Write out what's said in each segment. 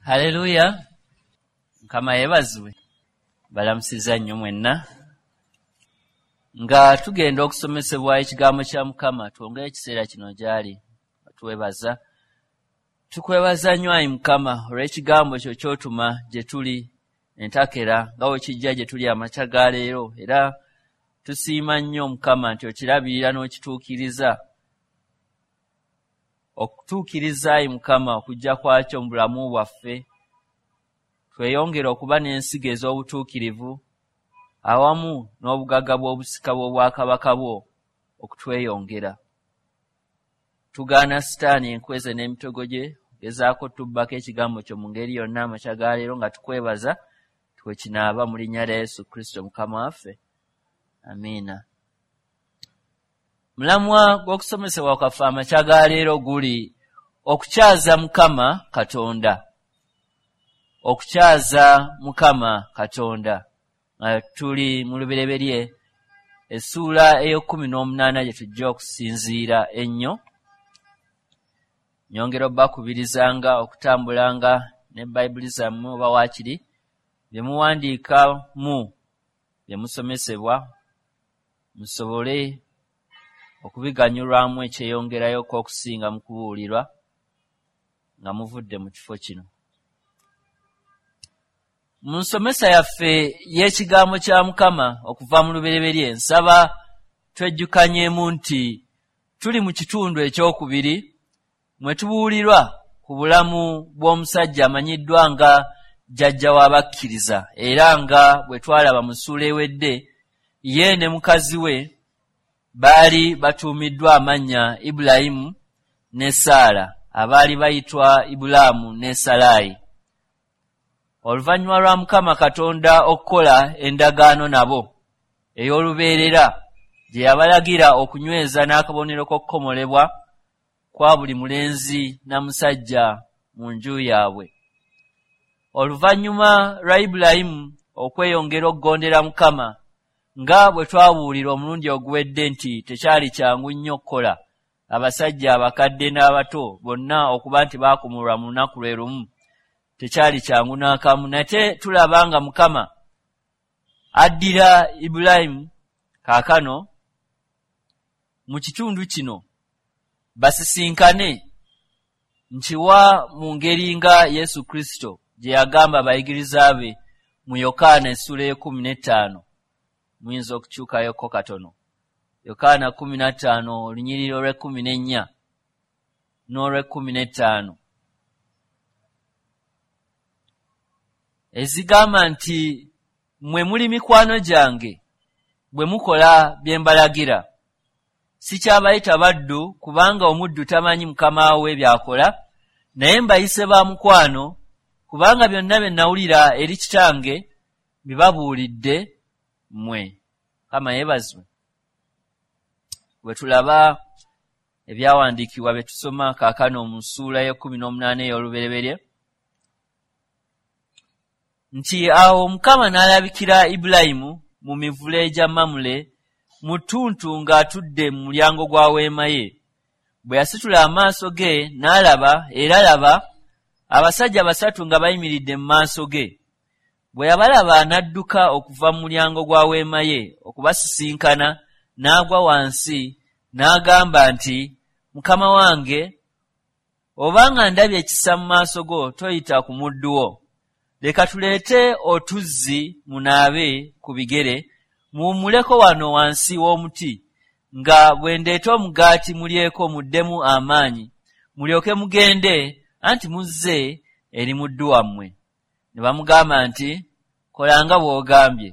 Haleluya! Mukama yeebazibwe. Balamusizza nnyo mwenna. Nga tugenda okusomesebwa ekigambo kya Mukama, twongere ekiseera kino gy'ali. Tuwebaza. Tukwebaza nnyo ayi Mukama olw'ekigambo kyo ky'otuma gye tuli entakera nga bwe kijja gye tuli amakya ga leero, era tusiima nnyo Mukama nti okirabirira n'okituukiriza. Okutuukiriza ayi Mukama okujja kwakyo mu bulamu bwaffe, tweyongere okuba n'ensigo ez'obutuukirivu awamu n'obugagga bw'obusika bw'obwakabaka bwo okutweyongera. Tugaana Sitaani enkweze n'emitego gye gezaako tubbako ekigambo kyo mu ngeri yonna amakya ga leero, nga tukwebaza twekinaaba mu linnya lya Yesu Kristo Mukama waffe. Amiina. Mulamwa gw'okusomesebwa kwaffe amakya ga leero guli okukyaza Mukama Katonda. Okukyaza Mukama Katonda. Nga tuli mu Lubereberye essuula ey'e18 gye tujja okusinziira ennyo. Nyongera obbakubirizanga okutambulanga ne Bayibuli zammwe oba waakiri bye muwandiikamu bye musomesebwa musobole okubiganyulwamu ekyeyongerayoko okusinga mu kubuulirwa nga muvudde mu kifo kino. Mu nsomesa yaffe y'ekigambo kya Mukama okuva mu Lubereberye, nsaba twejjukanyeemu nti tuli mu kitundu ekyokubiri mwe tubuulirwa ku bulamu bw'omusajja amanyiddwa nga jjajja w'abakkiriza, era nga bwe twalaba mu ssuula ewedde, ye ne mukazi we baali batuumiddwa amannya Ibulayimu ne Saala, abaali bayitwa Ibulaamu ne Salaayi. Oluvannyuma lwa Mukama Katonda okukola endagaano nabo ey'olubeerera gye yabalagira okunyweza n'akabonero k'okukomolebwa kwa buli mulenzi na musajja mu nju yaabwe. Oluvannyuma lwa Ibulayimu okweyongera okugondera Mukama, nga bwe twabuulira omulundi oguwedde nti tekyali kyangu nnyo okukola abasajja abakadde n'abato bonna okuba nti baakomolwa mu lunaku lwe lumu, tekyali kyangu n'akamu. Nate tulaba nga Mukama addira Ibulayimu kaakano mu kitundu kino basisinkane nkiwa mu ngeri nga Yesu Kristo gye yagamba abayigiriza be mu Yokaana essuula ey'e15. Muyinza okukyukayoko katono. Yokaana 15 olunyiriri olw'e14 n'olw'e15 ezigamba nti mmwe muli mikwano gyange bwe mukola bye mbalagira. Sikyabayita baddu kubanga omuddu tamanyi mukama we by'akola, naye mbayise ba mukwano kubanga byonna bye nawulira eri kitange mbibabuulidde mmwe. Mukama yeebazibwe. Bwe tulaba ebyawandiikibwa bye tusoma kaakano mu ssuula y'e18 ey'Olubereberye, nti awo Mukama n'alabikira Ibulayimu mu mivule gya Mamule mu ttuntu ng'atudde mu mulyango gwa weema ye. Bwe yasitula amaaso ge n'alaba, era laba, abasajja basatu nga bayimiridde mu maaso ge. Bwe yabalaba n'adduka okuva mu mulyango gwa weema ye okubasisinkana, n'agwa wansi n'agamba nti, Mukama wange, obanga ndabye ekisa mu maaso go, toyita ku muddu wo. Leka tuleete otuzzi munaabe ku bigere, muwummuleko wano wansi w'omuti, nga bwe ndeeta omugaati mulyeko muddemu amaanyi, mulyoke mugende, anti muzze eri muddu wammwe. Ne bamugamba nti, kola nga bw'ogambye.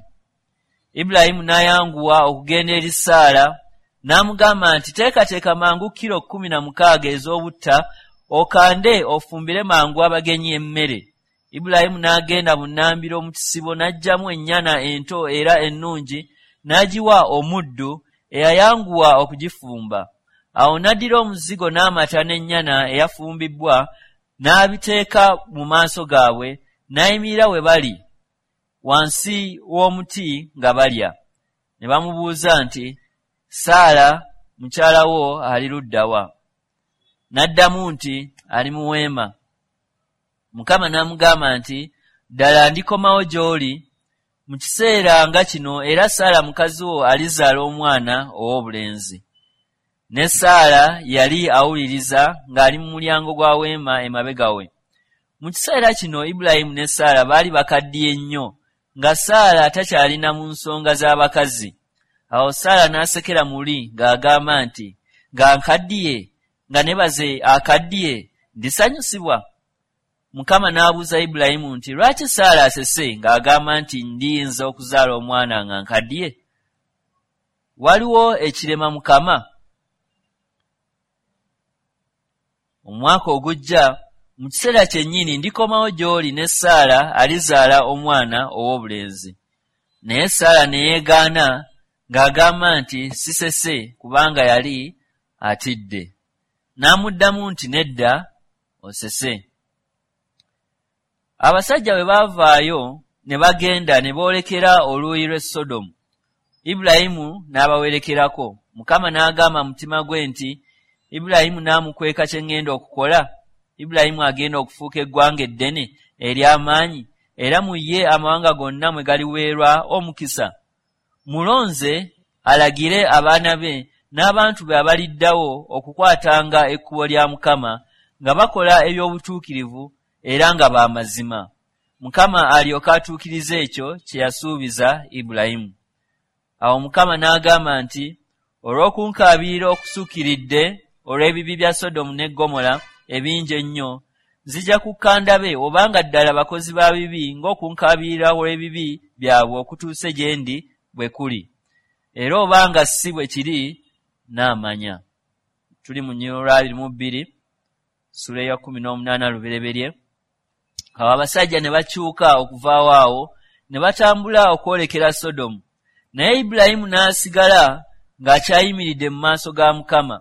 Ibulayimu n'ayanguwa okugenda eri Saala, n'amugamba nti, teekateeka mangu kilo 16 ez'obutta, okande ofumbire mangu abagenyi emmere. Ibulayimu n'agenda bunnambiro mu kisibo n'aggyamu ennyana ento era ennungi n'agiwa omuddu eyayanguwa okugifumba. Awo n'addira omuzigo n'amata n'ennyana eyafumbibbwa n'abiteeka mu maaso gaabwe, n'ayimirira we bali wansi w'omuti nga balya. Ne bamubuuza nti, Saala mukyala wo ali ludda wa? N'addamu nti, ali mu weema. Mukama n'amugamba nti, Ddala ndikomawo gy'oli mu kiseera nga kino, era Saala mukazi wo alizaala omwana ow'obulenzi. Ne Saala yali awuliriza ng'ali mu mulyango gwa weema emabega we. Mu kiseera kino Ibulayimu ne Saala baali bakaddiye nnyo, nga Saala takyalina mu nsonga z'abakazi. Awo Saala n'asekera muli ng'agamba nti, Nga nkaddiye, nga ne baze akaddiye, ndisanyusibwa? Mukama n'abuuza Ibulayimu nti, Lwaki Saala asese ng'agamba nti ndiyinza okuzaala omwana nga nkaddiye? Waliwo ekirema Mukama? Omwaka ogujja, mu kiseera kyennyini ndikomawo gy'oli ne Saala alizaala omwana ow'obulenzi. Naye Saala ne yeegaana ng'agamba nti, Sisese, kubanga yali atidde. N'amuddamu nti, Nedda, osese. Abasajja bwe baavaayo ne bagenda ne boolekera oluuyi lw'e Sodomu, Ibulayimu n'abawerekerako. Mukama n'agamba mu mutima gwe nti, Ibulayimu naamukweka kye ŋŋenda okukola? Ibulayimu agenda okufuuka eggwanga eddene ery'amaanyi, era mu ye amawanga gonna mwe galiweerwa omukisa. Mulonze alagire abaana be n'abantu be abaliddawo okukwatanga ekkubo lya Mukama nga bakola eby'obutuukirivu era nga ba mazima, Mukama alyoke atuukirize ekyo kye yasuubiza Ibulayimu. Awo Mukama n'agamba nti, Olw'okunkaabirira okusukkiridde olw'ebibi bya Sodomu ne Ggomola ebingi ennyo, nzija kukka ndabe obanga ddala bakozi ba bibi ng'okunkaabirira olw'ebibi byabwe okutuuse gye ndi bwe kuli. Era obanga si bwe kiri, nnaamanya. Tuli mu lunyiriri olwa 22, ssuula eya 18 Lubereberye. Awo abasajja ne bakyuka okuvaawo awo, ne batambula okwolekera Sodomu. Naye Ibulayimu n'asigala ng'akyayimiridde mu maaso ga Mukama.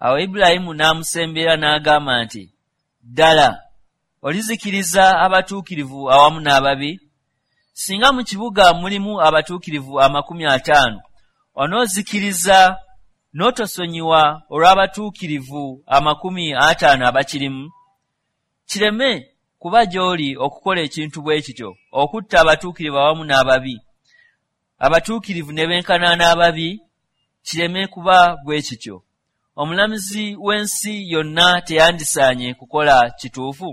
Awo Ibulayimu n'amusembera n'agamba nti, Ddala olizikiriza abatuukirivu awamu n'ababi? Singa mu kibuga mulimu abatuukirivu 50, onoozikiriza n'otosonyiwa olw'abatuukirivu 50 abakirimu? Kireme kuba gy'oli okukola ekintu bwe kityo, okutta abatuukirivu awamu n'ababi. Abatuukirivu ne benkana n'ababi, kireme kuba bwe kityo. Omulamuzi w'ensi yonna teyandisaanye kukola kituufu?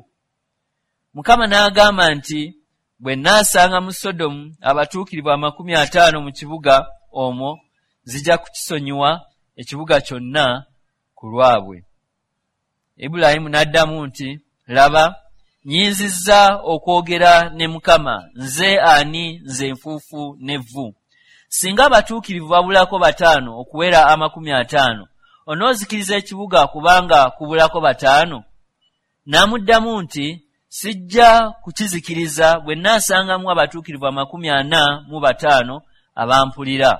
Mukama n'agamba nti, Bwe nnaasanga mu Sodomu abatuukirivu 50 mu kibuga omwo, nzija kukisonyiwa ekibuga kyonna ku lwabwe. Ibulayimu n'addamu nti, Laba, nnyinzizza okwogera ne Mukama, nze ani, nze enfuufu n'evvu. Singa abatuukirivu babulako 5 okuwera 50, onoozikiriza ekibuga kubanga kubulako 5? N'amuddamu nti, Sijja kukizikiriza bwe nnaasangamu abatuukirivu 45 abampulira.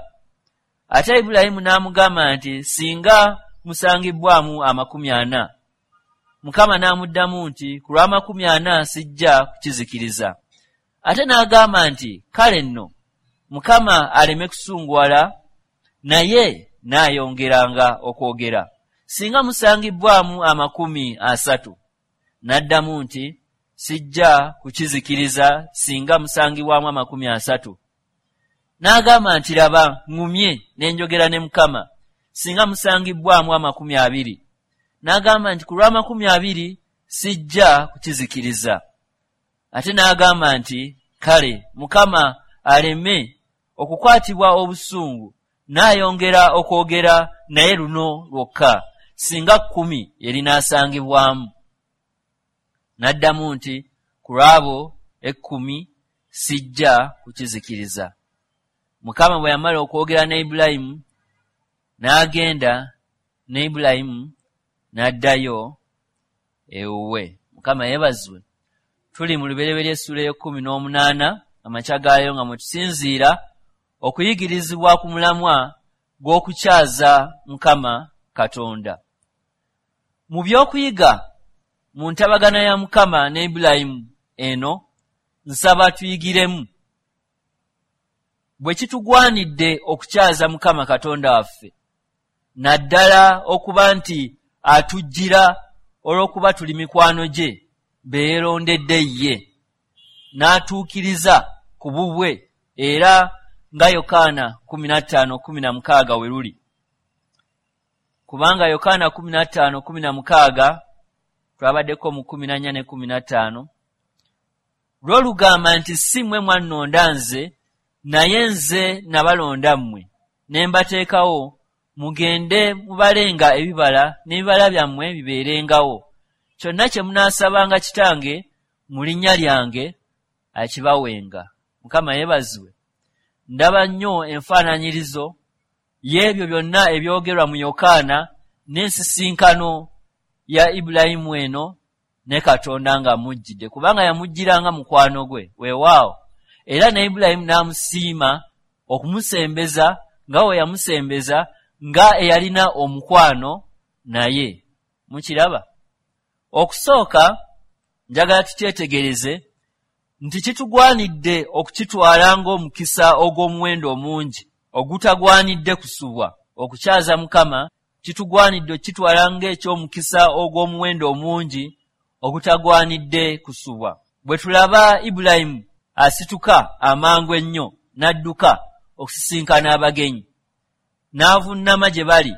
Ate Ibulayimu n'amugamba nti, Singa musangibbwamu 40. Mukama n'amuddamu nti, Ku lw'amakumi ana sijja kukizikiriza. Ate n'agamba nti, Kale nno, Mukama aleme kusunguwala, naye nnaayongeranga okwogera. Singa musangibbwamu 30. N'addamu nti, Sijja kukizikiriza singa musangibwamu 30. N'agamba nti, Laba, ŋŋumye ne njogera ne Mukama, singa musangibbwamu 20. N'agamba nti, Ku lw'amakumi abiri sijja kukizikiriza. Ate n'agamba nti, Kale Mukama aleme okukwatibwa obusungu, nnaayongera okwogera naye luno lwokka, singa 10 erinaasangibwamu. N'addamu nti, Ku lw'abo 10 sijja kukizikiriza. Mukama bwe yamala okwogera ne Ibulayimu, n'agenda, ne Ibulayimu n'addayo ewuwe. Mukama yeebazibwe. Tuli mu Lubereberye essuula ey'e18 amakya gaayo nga mwe tusinziira okuyigirizibwa ku mulamwa gw'okukyaza Mukama Katonda. Mu by'okuyiga mu ntabagana ya Mukama ne Ibulayimu eno, nsaba tuyigiremu bwe kitugwanidde okukyaza Mukama Katonda waffe, naddala okuba nti atujjira olw'okuba tuli mikwano gye be yeerondedde ye, n'atuukiriza ku bubwe, era nga Yokaana 15:16 we luli. Kubanga Yokaana 15:16 twabaddeko mu 14 ne 15, lwo lugamba nti si mmwe mwannonda nze, naye nze nabalonda mmwe, ne mbateekawo mugende mubalenga ebibala, n'ebibala byammwe bibeerengawo. Kyonna kye munaasabanga Kitange mu linnya lyange akibawenga. Mukama yeebazibwe. Ndaba nnyo enfaananyirizo y'ebyo byonna ebyogerwa mu Yokaana n'ensisinkano ya Ibulayimu eno ne Katonda ng'amujjidde, kubanga yamujjiranga mukwano gwe. Weewaawo, era ne Ibulayimu n'amusiima okumusembeza nga we yamusembeza nga eyalina omukwano naye. Mukiraba? Okusooka njagala tukyetegereze nti kitugwanidde okukitwala ng'omukisa ogw'omuwendo omungi ogutagwanidde kusubwa. Okukyaza Mukama kitugwanidde okukitwala ng'eky'omukisa ogw'omuwendo omungi ogutagwanidde kusubwa. Bwe tulaba Ibulayimu asituka amangu ennyo n'adduka okusisinkana abagenyi, n'avunnama gye bali,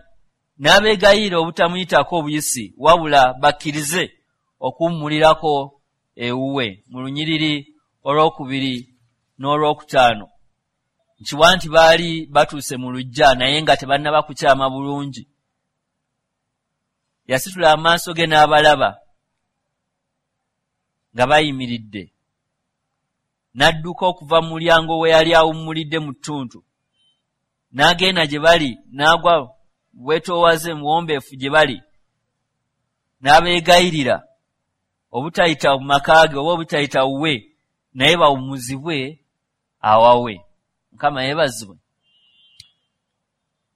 n'abeegayirira obutamuyitako obuyisi, wabula bakkirize okuwummulirako ewuwe, mu lunyiriri olwokubiri n'olwokutaano. Nkiwa nti baali batuuse mu luggya naye nga tebannaba kukyama bulungi. Yasitula amaaso ge n'abalaba nga bayimiridde, n'adduka okuva mu mulyango we yali awummulidde mu ttuntu, n'agenda gye bali, n'agwa bwetoowaze muwombeefu gye bali, n'abeegayirira obutayita mu maka ge oba obutayita wuwe, naye bawummuzibwe awawe. Mukama yeebazibwe.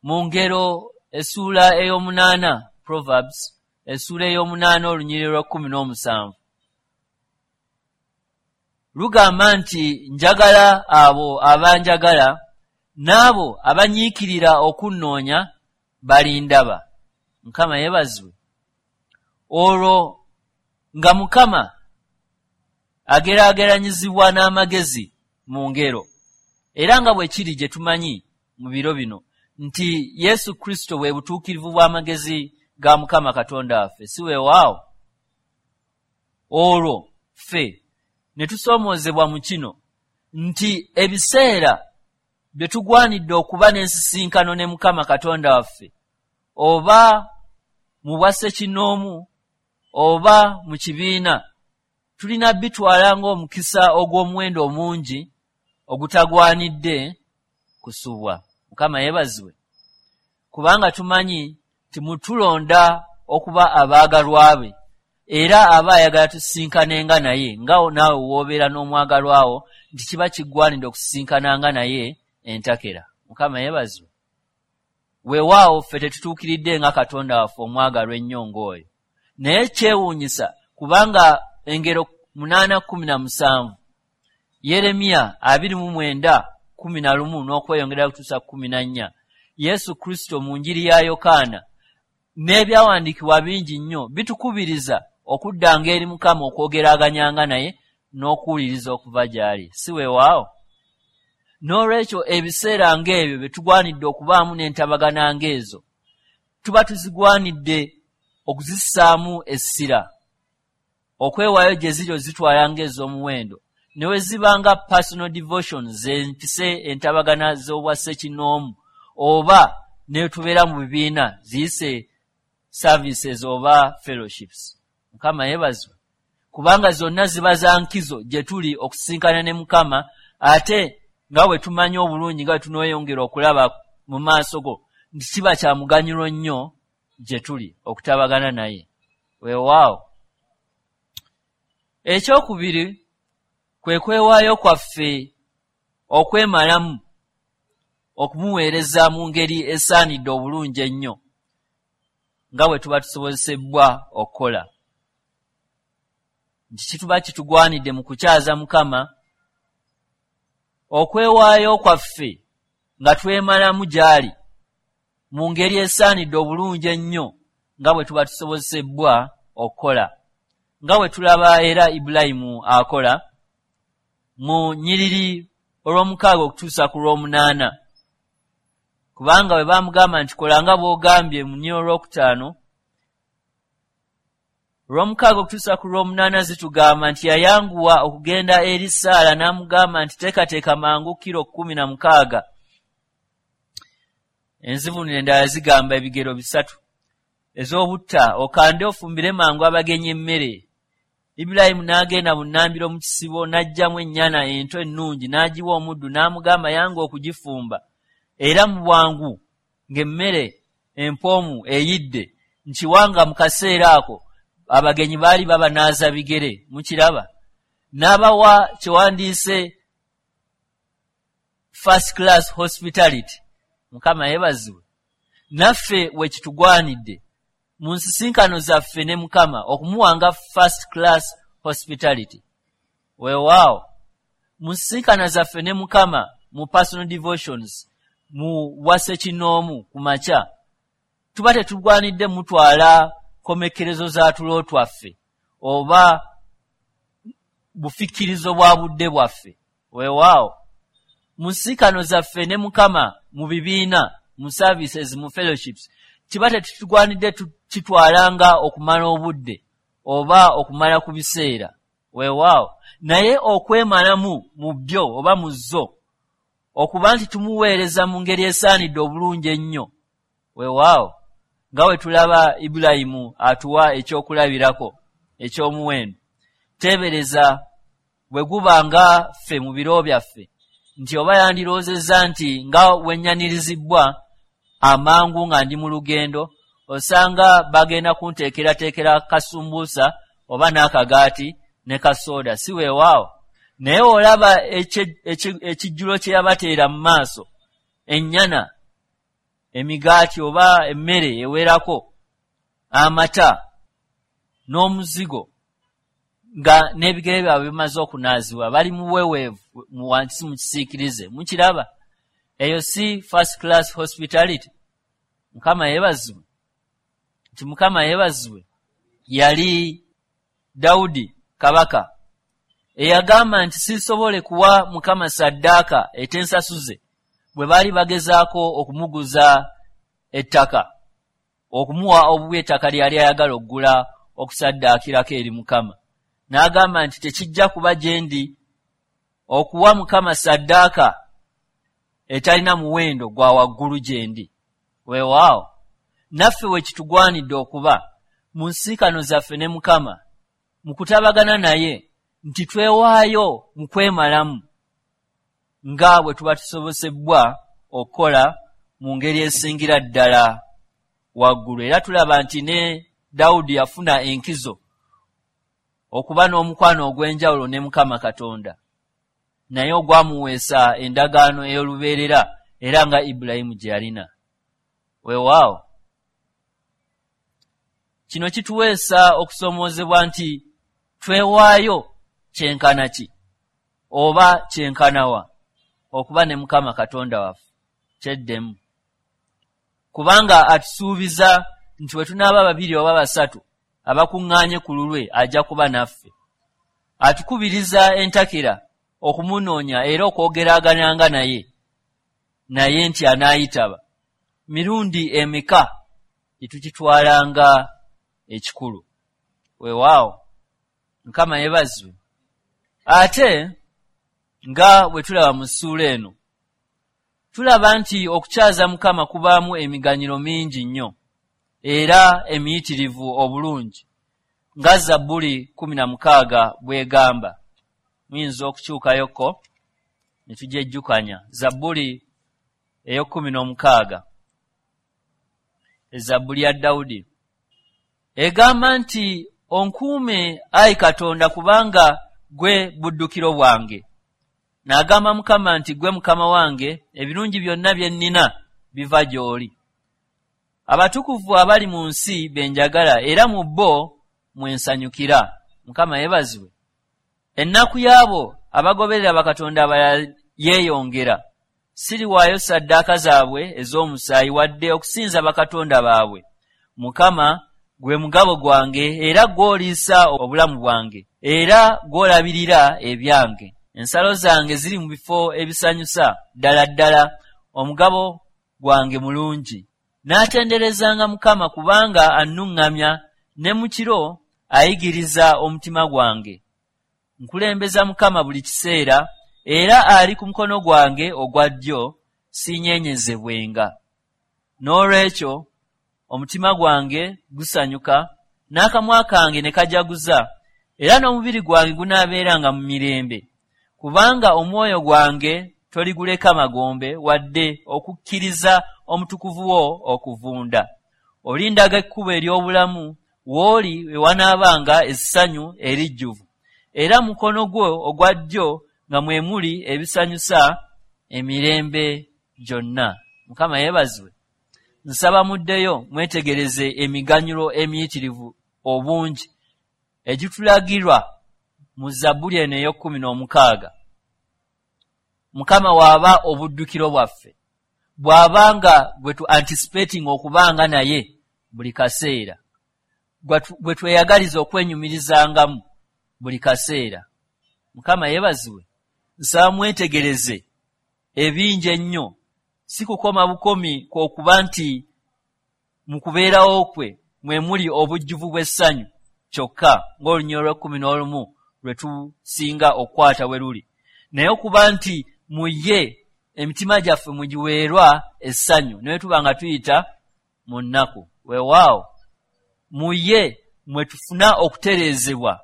Mu Ngero essuula ey'omunaana, Proverbs essuula ey'omunaana olunyiriri lwa 17 lugamba nti njagala abo abanjagala, n'abo abanyiikirira okunnoonya balindaba. Mukama yeebazibwe. Olwo nga Mukama ageraageranyizibwa n'amagezi mu ngero, era nga bwe kiri gye tumanyi mu biro bino nti Yesu Kristo bwe butuukirivu bw'amagezi ga Mukama Katonda waffe, si weewaawo? Olwo ffe ne tusoomoozebwa mu kino nti ebiseera bye tugwanidde okuba n'ensisinkano ne Mukama Katonda waffe, oba mu bwassekinnoomu oba mu kibiina, tulina bitwala ng'omukisa ogw'omuwendo omungi ogutagwanidde kusubwa. Mukama yeebazibwe. Kubanga tumanyi nti mutulonda okuba abaagalwa be, era aba ayagala tusisinkanenga naye, nga naawe w'obeera n'omwagalwawo nti kiba kiggwanidde okusisinkananga naye entakera. Mukama yeebazibwe. Weewaawo ffe tetutuukiridde nga Katonda waffe omwagalwa ennyo ng'oyo, naye kyewuunyisa kubanga Engero 8:17, Yeremiya 29:11 n'okweyongera kutuusa 14, Yesu Kristo mu Njiri ya Yokaana n'ebyawandiikibwa bingi nnyo bitukubiriza okuddanga eri Mukama, okwogeraganyanga naye n'okuwuliriza okuva gy'ali, si weewaawo? N'olwekyo ebiseera ng'ebyo bye tugwanidde okubaamu n'entabagana ng'ezo, tuba tuzigwanidde okuzissaamu essira, okwewaayo gye ziri ozitwala ng'ez'omuwendo, ne we ziba nga personal devotion zempise entabagana z'obwassekinnoomu, oba ne tubeera mu bibiina ziyise services oba fellowships. Mukama yeebazibwe. Kubanga zonna ziba za nkizo gye tuli okusisinkana ne Mukama, ate nga bwe tumanyi obulungi nga bwe tunoyongera okulaba mu maaso go nti kiba kya muganyulo nnyo gye tuli okutabagana naye. Weewaawo, ekyokubiri kwe kwewaayo kwaffe okwemalamu okumuweereza mu ngeri esaanidde obulungi ennyo nga bwe tuba tusobozesebbwa okukola, nti kituba kitugwanidde mu kukyaza Mukama okwewaayo kwaffe nga twemalamu gy'ali mu ngeri esaanidde obulungi ennyo nga bwe tuba tusobozesebbwa okukola. Nga bwe tulaba era Ibulayimu akola mu nnyiriri olw'omukaaga okutuusa ku lw'omunaana, kubanga bwe baamugamba nti kola nga bw'ogambye mu nnyiriri olwokutaano, olw'omukaaga okutuusa ku lw'omunaana zitugamba nti yayanguwa okugenda eri Saala n'amugamba nti teekateeka mangu kiro 16. Enzivuunula endala zigamba ebigero 3 ez'obutta, okande ofumbire mangu abagenyi emmere. Ibulayimu n'agenda bunnambiro mu kisibo n'aggyamu ennyana ento ennungi n'agiwa omuddu n'amugamba yange okugifumba. Era mu bwangu ng'emmere empoomu eyidde, nkiwanga mu kaseera ako abagenyi baali babanaaza bigere. Mukiraba? N'abawa kyewandiise first class hospitality. Mukama yeebazibwe. Naffe we kitugwanidde mu nsisinkano zaffe ne Mukama okumuwanga first class hospitality. Weewaawo, mu nsisinkano zaffe ne Mukama mu personal devotions, mu bwassekinnoomu ku makya, tuba tetugwanidde mutwala komekkerezo za tulo twaffe oba bufikkirizo bwa budde bwaffe. Weewaawo, mu nsisinkano zaffe ne Mukama mu bibiina, mu services, mu fellowships, kiba tetutugwanidde kitwalanga okumala obudde oba okumala ku biseera. Weewaawo, naye okwemalamu mu byo oba mu zo, okuba nti tumuweereza mu ngeri esaanidde obulungi ennyo. Weewaawo, nga bwe tulaba Ibulayimu atuwa ekyokulabirako eky'omuwendo. Teebereza bwe guba nga ffe mu biro byaffe, nti oba yandirowoozezza nti nga wennyanirizibwa amangu nga ndi mu lugendo, osanga bagenda kunteekerateekera kasumbuusa oba n'akagaati ne kasooda, si weewaawo. Naye olaba ekijjulo kye yabateera mu maaso, ennyana, emigaati oba emmere ewerako, amata n'omuzigo, nga n'ebigere byabwe bimaze okunaazibwa, bali mu buweweevu mu wansi mu kisiikirize. Mukiraba? Eyo si first class hospitality. Mukama yeebazibwe. Nti Mukama yeebazibwe. Yali Dawudi kabaka eyagamba nti sisobole kuwa Mukama saddaaka etensasuze, bwe baali bagezaako okumuguza ettaka, okumuwa obuwi ettaka lyali ayagala okugula okusaddaakirako eri Mukama. N'agamba nti tekijja kuba gye ndi okuwa Mukama saddaaka etalina muwendo gwa waggulu gye ndi. Weewaawo, naffe we kitugwanidde okuba mu nsiikano zaffe ne Mukama, mu kutabagana naye, nti twewaayo mu kwemalamu nga bwe tuba tusobosebwa okukola mu ngeri esingira ddala waggulu. Era tulaba nti ne Dawudi yafuna enkizo okuba n'omukwano ogw'enjawulo ne Mukama Katonda, naye ogwamuweesa endagaano ey'olubeerera era nga Ibulayimu gye yalina. Weewaawo, kino kituweesa okusoomoozebwa nti twewaayo kyenkana ki oba kyenkanawa okuba ne Mukama Katonda waffe kyeddemu, kubanga atusuubiza nti bwe tunaaba babiri oba basatu abakuŋŋaanye ku lulwe ajja kuba naffe. Atukubiriza entakera okumunoonya era okwogeragananga naye nti anaayitaba. Mirundi emeka gye tukitwalanga ekikulu? Weewaawo, Mukama yeebazibwe. Ate nga bwe tulaba mu ssuula eno, tulaba nti okukyaza Mukama kubaamu emiganyiro mingi nnyo era emiyitirivu obulungi, nga Zabbuli 16 bw'egamba. Muyinza okukyukayokko ne tugyejjukanya. Zabbuli ey'okkumi n'omukaaga, Ezabbuli ya Dawudi, egamba nti onkuume ayi Katonda, kubanga gwe buddukiro bwange. N'agamba Mukama nti gwe Mukama wange, ebirungi byonna bye nnina biva gy'oli. Abatukuvu abali mu nsi be njagala, era mu bo mwe nsanyukira. Mukama yeebazibwe. Ennaku y'abo abagoberera bakatonda abalala yeeyongera. Siriwaayo ssaddaaka zaabwe ez'omusaayi wadde okusinza bakatonda baabwe. Mukama Gwe mugabo gwange, era gw'oliisa obulamu bwange, era gw'olabirira ebyange. Ensalo zange ziri mu bifo ebisanyusa, ddala ddala omugabo gwange mulungi. Naatenderezanga Mukama kubanga annuŋŋamya, ne mu kiro ayigiriza omutima gwange. Nkulembeza Mukama buli kiseera, era ali ku mukono gwange ogwa ddyo, siinyeenyezebwenga. N'olwekyo omutima gwange gusanyuka, n'akamwa kange ne kajaguza, era n'omubiri gwange gunaabeeranga mu mirembe. Kubanga omwoyo gwange toliguleka magombe, wadde okukkiriza omutukuvu wo okuvunda. Olindaga ekkubo ery'obulamu, w'oli we wanaabanga essanyu erijjuvu, era mu mukono gwo ogwa ddyo nga mwe muli ebisanyusa emirembe gyonna. Mukama yeebazibwe. Nsaba muddeyo mwetegereze emiganyulo emiyitirivu obungi egitulagirwa mu Zabbuli eno ey'okkumi n'omukaaga. Mukama waaba obuddukiro bwaffe, bw'aba nga gwe tu anticipating okubanga naye buli kaseera, gwe tweyagaliza okwenyumirizangamu buli kaseera. Mukama yeebazibwe. Nsaba mwetegereze ebingi ennyo, si kukoma bukomi kw'okuba nti mu kubeerawo kwe mwe muli obujjuvu bw'essanyu kyokka, ng'olunyiriri olw'ekkumi n'olumu lwe tusinga okukwata bwe luli, naye okuba nti mu ye emitima gyaffe mugiweerwa essanyu naye tuba nga tuyita mu nnaku. Weewaawo, mu ye mwe tufuna okutereezebwa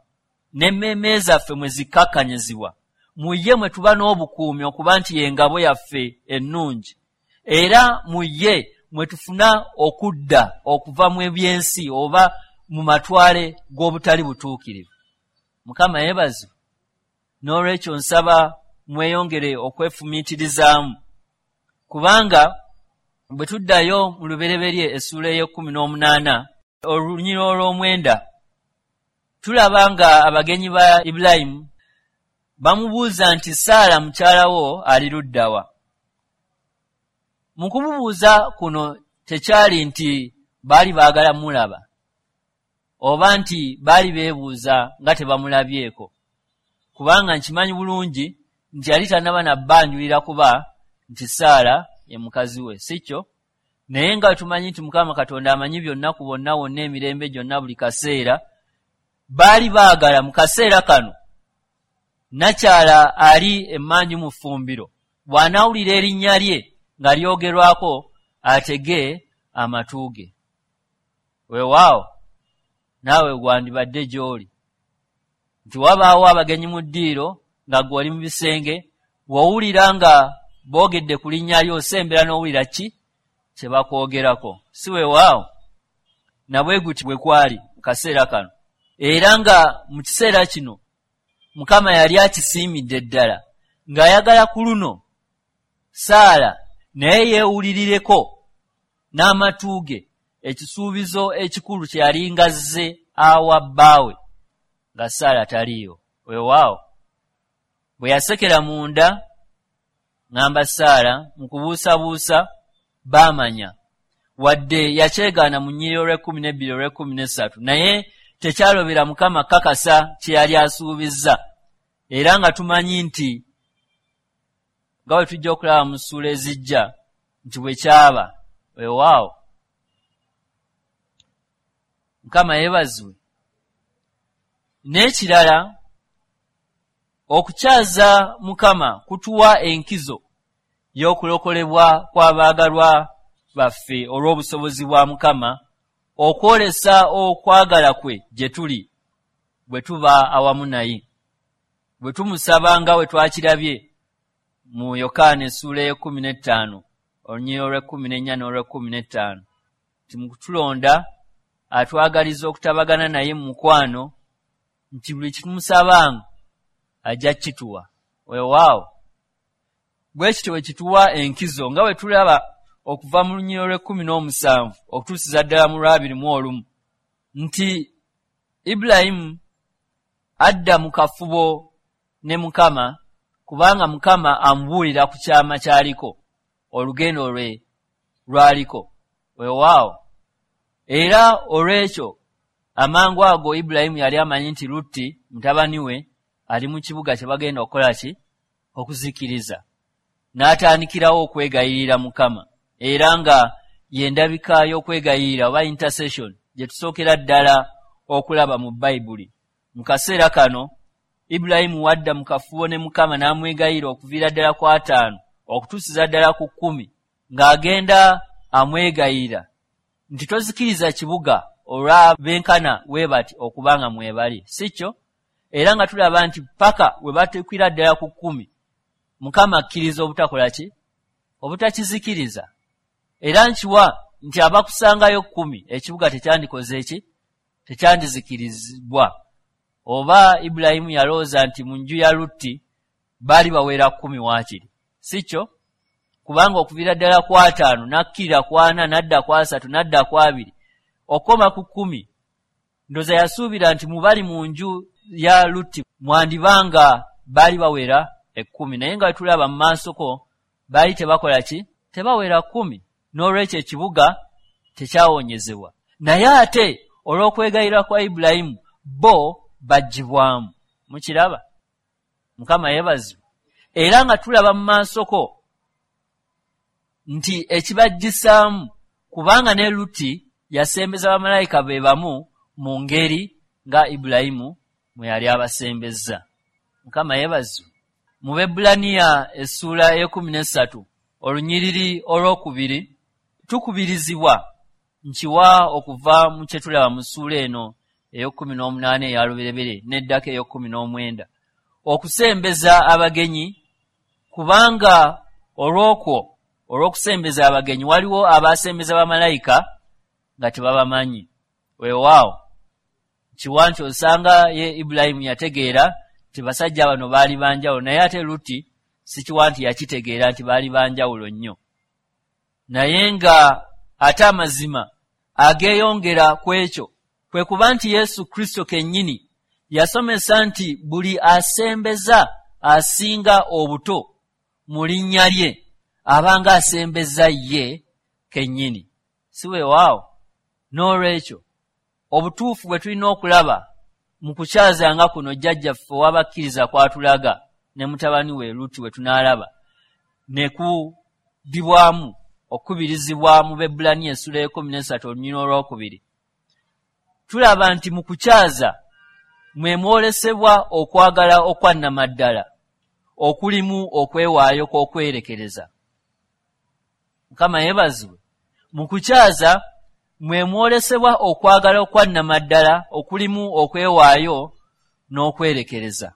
n'emmeeme zaffe mwe zikkakkanyizibwa. Mu ye mwe tuba n'obukuumi okuba nti y'engabo yaffe ennungi, era mu ye mwe tufuna okudda okuva mu ebyensi oba mu matwale g'obutali butuukirivu. Mukama yeebazibwe. N'olwekyo nsaba mweyongere okwefumiitirizaamu, kubanga bwe tuddayo mu Lubereberye essuula ey'ekkumi n'omunaana, olunyiriri olw'omwenda, tulaba nga abagenyi ba Ibulayimu bamubuuza nti, "Saala mukyala wo ali luddawa?" Mu kumubuuza kuno tekyali nti baali baagala mulaba oba nti baali beebuuza nga tebamulabyeko, kubanga nkimanyi bulungi nti yali tannaba nabbanjulira kuba nti Saala ye mukazi we, si kyo? Naye nga tumanyi nti Mukama Katonda amanyi byonna ku bonna wonna emirembe gyonna buli kaseera, baali baagala mu kaseera kano nakyala ali emmanju mu ffumbiro bw'anaawulira erinnya lye nga lyogerwako atege amatu ge. Weewaawo, naawe gwandibadde gy'oli nti wabaawo abagenyi mu ddiiro nga ggwe oli mu bisenge, w'owulira nga boogedde ku linnya lyo osembera n'owulira ki kye bakwogerako, si weewaawo? Nabwe guti bwe kwali mu kaseera kano, era nga mu kiseera kino Mukama yali akisiimidde ddala ng'ayagala ku luno Saala naye yeewulirireko n'amatu ge ekisuubizo ekikulu kye yali ng'azze awa bbaawe nga Saala taliiwo. Weewaawo, bwe yasekera munda ŋŋamba Saala mu kubuusabuusa, baamanya wadde yakyegaana mu nnyiriri olw'ekkumi n'ebbiri, olw'ekkumi n'essatu, naye tekyalobera Mukama kakasa kye yali asuubizza. Era nga tumanyi nti nga bwe tujja okulaba mu ssuula ezijja nti bwe kyaba. Weewaawo, Mukama yeebazibwe. N'ekirala, okukyaza Mukama kutuwa enkizo y'okulokolebwa kw'abaagalwa baffe olw'obusobozi bwa Mukama okwolesa okwagala kwe gye tuli bwe tuba awamu naye, bwe tumusaba, nga bwe twakirabye mu Yokaana essuula ey'ekkumi n'ettaano, olunyiriri olw'ekkumi n'ennya n'olw'ekkumi n'ettaano, nti mu kutulonda atwagaliza okutabagana naye mu mukwano, nti buli kitumusabanga ajja kituwa. Weewaawo, bwe kityo bwe kituwa enkizo, nga bwe tulaba okuva mu lunyiriri olw'ekkumi n'omusanvu okutuusiza ddala mu lw'abiri mu olumu, nti Ibulayimu adda mu kafubo ne Mukama, kubanga Mukama amubuulira ku kyama ky'aliko, olugendo lwe lwaliko. Weewaawo, era olw'ekyo Amangu ago Ibulayimu yali amanyi nti Lutti mutabani we ali mu kibuga kye bagenda okukola ki? Okuzikiriza. N'atandikirawo okwegayirira Mukama, era nga y'endabika y'okwegayirira oba intercession gye tusookera ddala okulaba mu Bayibuli. Mu kaseera kano Ibulayimu wadda mu kafubo ne Mukama n'amwegayirira okuviira ddala ku 5 okutuusiza ddala ku 10, ng'agenda amwegayirira nti tozikiriza kibuga olw'abenkana we bati okubanga mwebali, si kyo? Era nga tulaba nti paka we batuukira ddala ku 10 Mukama akkiriza obutakola ki? Obutakizikiriza. Era nkiwa nti abakusangayo 10 ekibuga tekyandikoze ki? Tekyandizikirizibwa. Oba Ibulayimu yalowooza nti mu nju ya Lutti baali bawera 10 waakiri, si kyo? Kubanga okuviira ddala ku 5 n'akkirira ku 4 n'adda ku 3 n'adda ku 2 okukoma ku 10, ndowooza yasuubira nti mu bali mu nju ya Lutti mwandibanga baali bawera 10, naye nga tulaba mu maasoko baali tebakola ki? Tebawera 10. N'olwekyo ekibuga tekyawonyezebwa. Naye ate olw'okwegayirira kwa Ibulayimu bo baggyibwamu. Mukiraba? Mukama yeebazibwe. Era nga tulaba mu maasoko nti ekibaggyisaamu, kubanga ne Lutti yasembeza bamalayika be bamu mu ngeri nga Ibulayimu mwe yali abasembezza. Mukama yeebazibwe. Mu Bebbulaniya essuula 13 olunyiriri olwokubiri tukubirizibwa nkiwa okuva mu kye tulaba mu ssuula eno 18 eya Lubereberye n'eddako 19 okusembeza abagenyi, kubanga olw'okwo olw'okusembeza abagenyi waliwo abasembeza bamalayika nga tebabamanyi. Weewaawo kiwa nti osanga ye Ibulayimu yategeera nti basajja bano baali banjawulo, naye ate Lutti sikiwa nti yakitegeera nti baali banjawulo nnyo. Naye nga ate amazima ageeyongera ku ekyo kwe kuba nti Yesu Kristo kennyini yasomesa nti buli asembeza asinga obuto mu linnya lye abanga asembeza ye kennyini. Si weewaawo? N'olwekyo obutuufu bwe tulina okulaba mu kukyazanga kuno jjajjaffe ow'abakkiriza kwatulaga ne mutabani we Lutti we tunaalaba ne kuddibwamu okukubirizibwa mu Bebbulaniya essuula 13 olunyiriri olwokubiri, tulaba nti mu kukyaza mwe mwolesebwa okwagala okwa nnamaddala okulimu okwewaayo kw'okwerekereza. Mukama yeebazibwe. Mu kukyaza mwe mwolesebwa okwagala okwa nnamaddala okulimu okwewaayo n'okwerekereza.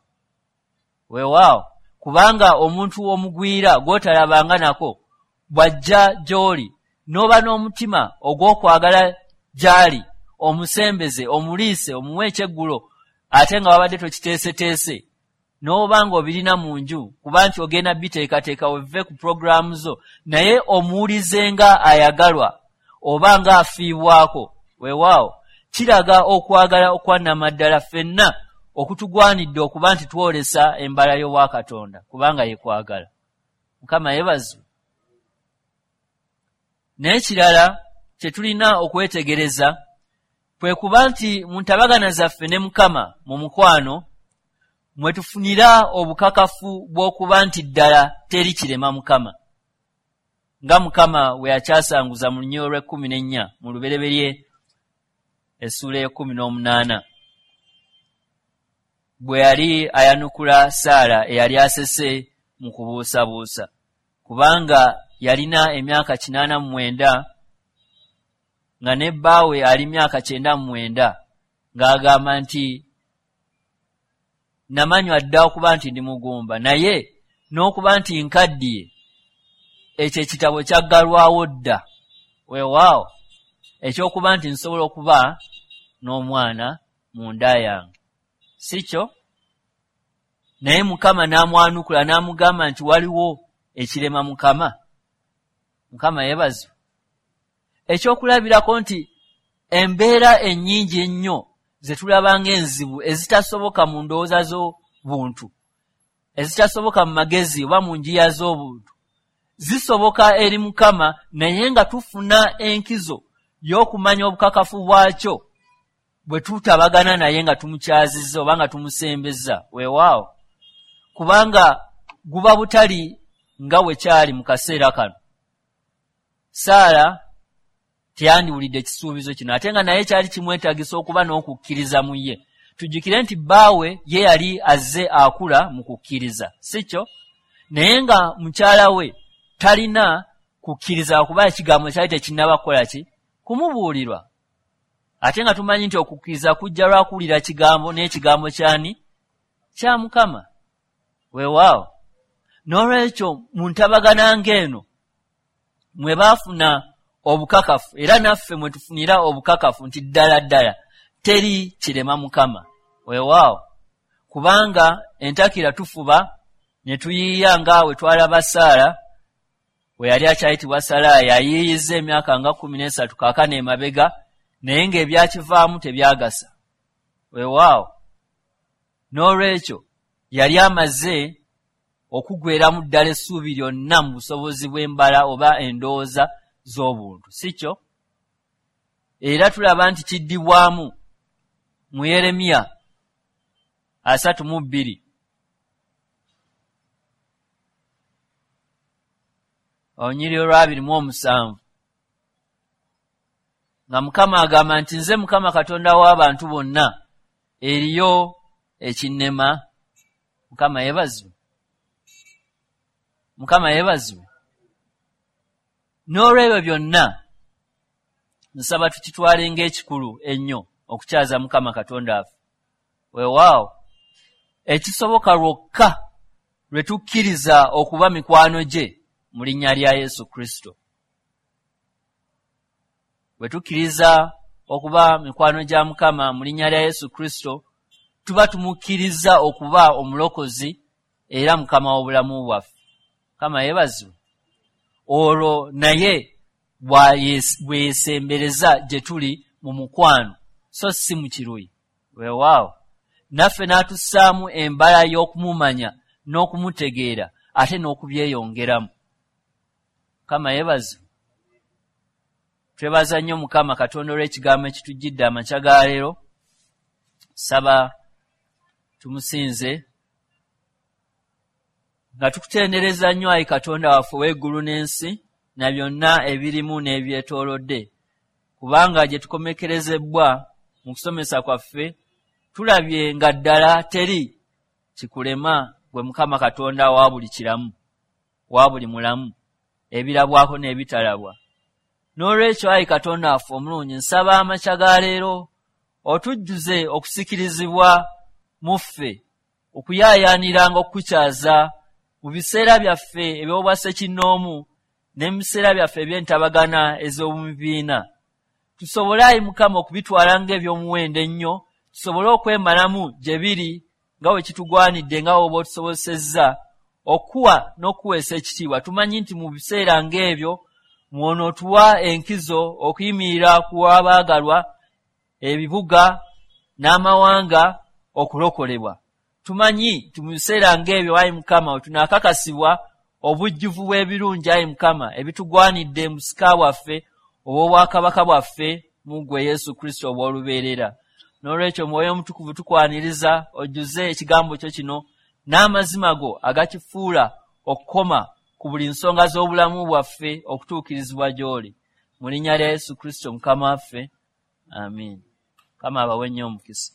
Weewaawo, kubanga omuntu omugwira gw'otalabanga nako bw'ajja gy'oli n'oba n'omutima ogw'okwagala gy'ali, omusembeze, omuliise, omuwe ekyeggulo ate nga wabadde tokiteeseteese, n'oba ng'obirina mu nju kuba nti ogenda biteekateeka weve ku pulogulaamu zo, naye omuwulize nga ayagalwa oba ng'afiibwako. Weewaawo, kiraga okwagala okwa nnamaddala ffenna okutugwanidde okuba nti twolesa embala y'Obwakatonda, kubanga ye kwagala. Mukama yeebazibwe. N'ekirala kye tulina okwetegereza kwe kuba nti mu ntabagana zaffe ne Mukama mu mukwano mwe tufunira obukakafu bw'okuba nti ddala teri kirema Mukama, nga Mukama we yakyasanguza mu lunyiriri olw'ekkumi n'ennya mu Lubereberye essuula 18, bwe yali ayanukula Saala eyali asese mu kubuusabuusa, kubanga yalina emyaka 89 nga ne bbaawe ali myaka 99, ng'agamba nti namanywa dda okuba nti ndi mugumba, naye n'okuba nti nkaddiye, ekyo ekitabo kyaggalwawo dda. Weewaawo, ekyokuba nti nsobola okuba n'omwana mu nda yange, si kyo? Naye Mukama n'amwanukula n'amugamba nti waliwo ekirema Mukama. Mukama yeebazibwe. Ekyokulabirako nti embeera ennyingi ennyo ze tulaba ng'enzibu ezitasoboka mu ndowooza z'obuntu, ezitasoboka mu magezi oba mu njiya z'obuntu, zisoboka eri Mukama, naye nga tufuna enkizo y'okumanya obukakafu bwakyo bwe tutabagana naye nga tumukyazizza oba nga tumusembezza. Weewaawo, kubanga guba butali nga bwe kyali mu kaseera kano. Saala teyandiwulidde ekisuubizo kino, ate nga naye kyali kimwetaagisa okuba n'okukkiriza mu ye. Tujjukire nti bbaawe ye yali azze akula mu kukkiriza, si kyo? Naye nga mukyala we talina kukkiriza, kuba ekigambo kyali tekinnaba kukola ki? Kumubuulirwa. Ate nga tumanyi nti okukkiriza kujja lwa kuwulira kigambo, n'ekigambo kyani? Kya Mukama. Weewaawo, n'olwekyo mu ntabagana ng'eno mwe baafuna obukakafu, era naffe mwe tufunira obukakafu nti ddala ddala teri kirema Mukama. Weewaawo, kubanga entakira tufuba ne tuyiiya nga we twalaba Saala we yali akyayitibwa Salaayi, ayiiyizza emyaka nga 13 kaakano emabega, naye ng'ebyakivaamu tebyagasa. Weewaawo, n'olwekyo yali amaze okugweramu ddala essuubi lyonna mu busobozi bw'embala oba endowooza z'obuntu, si kyo? Era tulaba nti kiddibwamu mu Yeremiya 32 olunyiriri olwa 27, nga Mukama agamba nti, "Nze Mukama Katonda w'abantu bonna, eriyo ekinnema?" Mukama yeebazibwe, Mukama yeebazibwe. N'olwebyo byonna nsaba tukitwale ng'ekikulu ennyo okukyaza Mukama Katonda waffe. Weewaawo, ekisoboka lwokka lwe tukkiriza okuba mikwano gye mu linnya lya Yesu Kristo. Bwe tukkiriza okuba mikwano gya Mukama mu linnya lya Yesu Kristo, tuba tumukkiriza okuba omulokozi era Mukama w'obulamu bwaffe. Mukama yeebazibwe. Olwo naye bwe yeesembereza gye tuli mu mukwano, so si mu kiruyi. Weewaawo, naffe n'atussaamu embala y'okumumanya n'okumutegeera, ate n'okubyeyongeramu. Mukama yeebazibwe. Twebaza nnyo Mukama Katonda olw'ekigambo ekitujjidde amakya ga leero. Saba tumusinze nga tukutendereza nnyo, ayi Katonda waffe ow'eggulu n'ensi na byonna ebirimu n'ebyetoolodde, kubanga gye tukomekerezebwa mu kusomesa kwaffe tulabye nga ddala teri kikulema gwe Mukama Katonda wa buli kiramu, wa buli mulamu, ebirabwako n'ebitalabwa. N'olwekyo, ayi Katonda waffe omulungi, nsaba amakya ga leero otujjuze okusikirizibwa mu ffe okuyaayaaniranga okukukyaza mu biseera byaffe eby'obwassekinnoomu ne mu biseera byaffe eby'entabagana ez'omu bibiina, tusobole, ayi Mukama, okubitwala ng'eby'omuwendo ennyo, tusobole okwemalamu gye biri nga bwe kitugwanidde, nga bw'oba otusobosezza okuwa n'okuweesa ekitiibwa. Tumanyi nti mu biseera ng'ebyo mw'onootuwa enkizo okuyimirira ku w'abaagalwa, ebibuga n'amawanga okulokolebwa. Tumanyi nti mu biseera ng'ebyo, ayi Mukama, we tunaakakasibwa obujjuvu bw'ebirungi, ayi Mukama, ebitugwanidde mu busika bwaffe obw'obwakabaka bwaffe mu ggwe Yesu Kristo obw'olubeerera. N'olwekyo, Mwoyo Omutukuvu, tukwaniriza ojjuze ekigambo kyo kino n'amazima go agakifuula okukoma ku buli nsonga z'obulamu bwaffe okutuukirizibwa gy'oli, mu linnya lya Yesu Kristo Mukama waffe, amiina. Mukama abawe nnyo omukisa.